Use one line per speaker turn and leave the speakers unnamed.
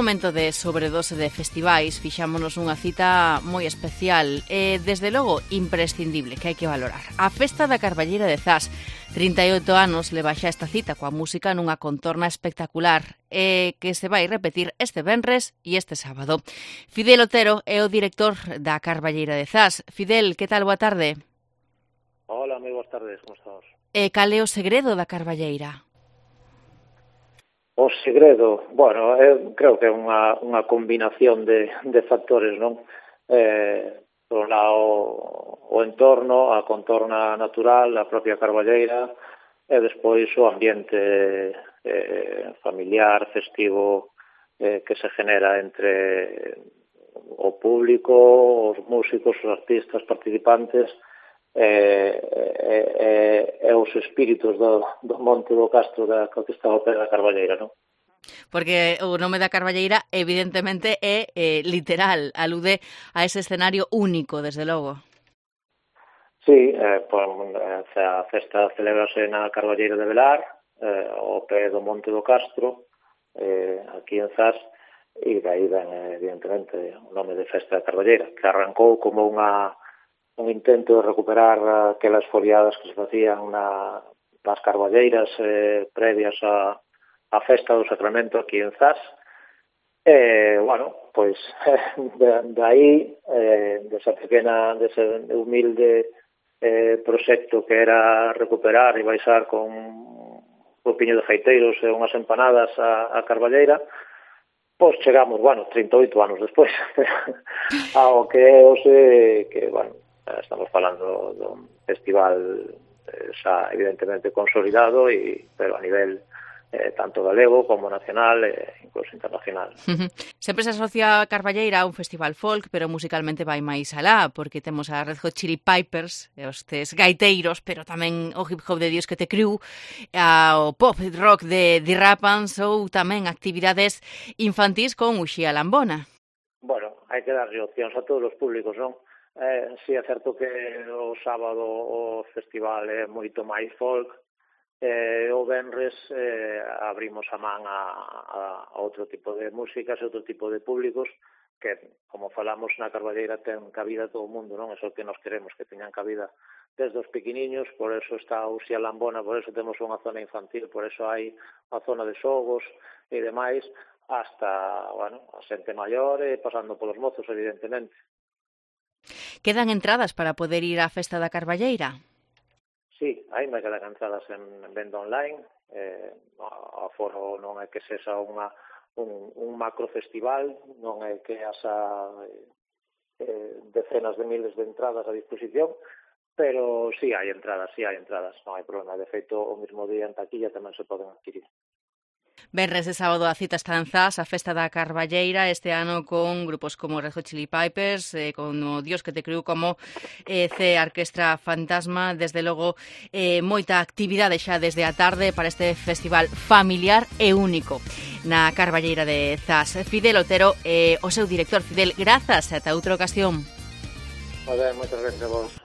momento de sobredose de festivais, fixámonos unha cita moi especial e, desde logo, imprescindible, que hai que valorar. A Festa da Carballeira de Zas. 38 anos leva xa esta cita coa música nunha contorna espectacular que se vai repetir este venres e este sábado. Fidel Otero é o director da Carballeira de Zas. Fidel, que tal? Boa tarde.
Hola, moi boas tardes, como estamos?
E cal é o segredo da Carballeira?
O segredo, bueno, creo que é unha combinación de factores, non? Por un lado, o entorno, a contorna natural, a propia Carballeira, e despois o ambiente familiar, festivo, que se genera entre o público, os músicos, os artistas participantes, e os espíritos do monte do Castro que está ao pé da Carballeira, non?
Porque o nome da Carballeira evidentemente é literal, alude a ese escenario único, desde logo.
Sí, a festa celebrase na Carballeira de Velar, ao pé do monte do Castro, aquí en Zas, e daí ven evidentemente o nome de Festa da Carballeira, que arrancou como un intento de recuperar aquelas foliadas que se facían nas carballeiras previas á Festa do Sacramento aquí en Zas. Bueno, pois de aí, dese humilde proxecto que era recuperar e baixar con un grupiño de feiteiros e unhas empanadas a Carballeira, pois chegamos, 38 anos despois, ao que é hoxe, que, estamos falando dun festival xa evidentemente consolidado, pero a nivel tanto galego como nacional e incluso internacional.
Sempre se asocia a Carballeira a un festival folk, pero musicalmente vai máis alá, porque temos a Red Hot Chili Peppers, os gaiteiros, pero tamén o hip hop de Dios que te criu, o pop rock de Rapans ou tamén actividades infantís con Uxía Lambona.
Bueno, hai que darlle opcións a todos os públicos, non? Si é certo que o sábado o festival é moito máis folk, o venres abrimos a man a outro tipo de músicas e outro tipo de públicos que, como falamos na Carballeira, ten cabida todo o mundo, non? É o que nos queremos, que teñan cabida desde os pequeniños, por eso está Uxía Lambona, por eso temos unha zona infantil, por eso hai unha zona de xogos e demais, hasta, a xente maior e pasando polos mozos, evidentemente.
Quedan entradas para poder ir á Festa da Carballeira?
Sí, ainda quedan entradas en venda online. O aforo non é que sexa un macro festival, non é que haxa decenas de miles de entradas a disposición, pero sí hai entradas, non hai problema. De feito, o mismo día en taquilla tamén se poden adquirir.
Venres de sábado a cita está en Zas, a Festa da Carballeira, este ano con grupos como Red Hot Chili Peppers, con o Dios que te criou, como Orquestra Fantasma. Desde logo, moita actividade xa desde a tarde para este festival familiar e único na Carballeira de Zas. Fidel Otero, o seu director. Fidel, grazas, ata outra ocasión.
Moitas gracias a vos.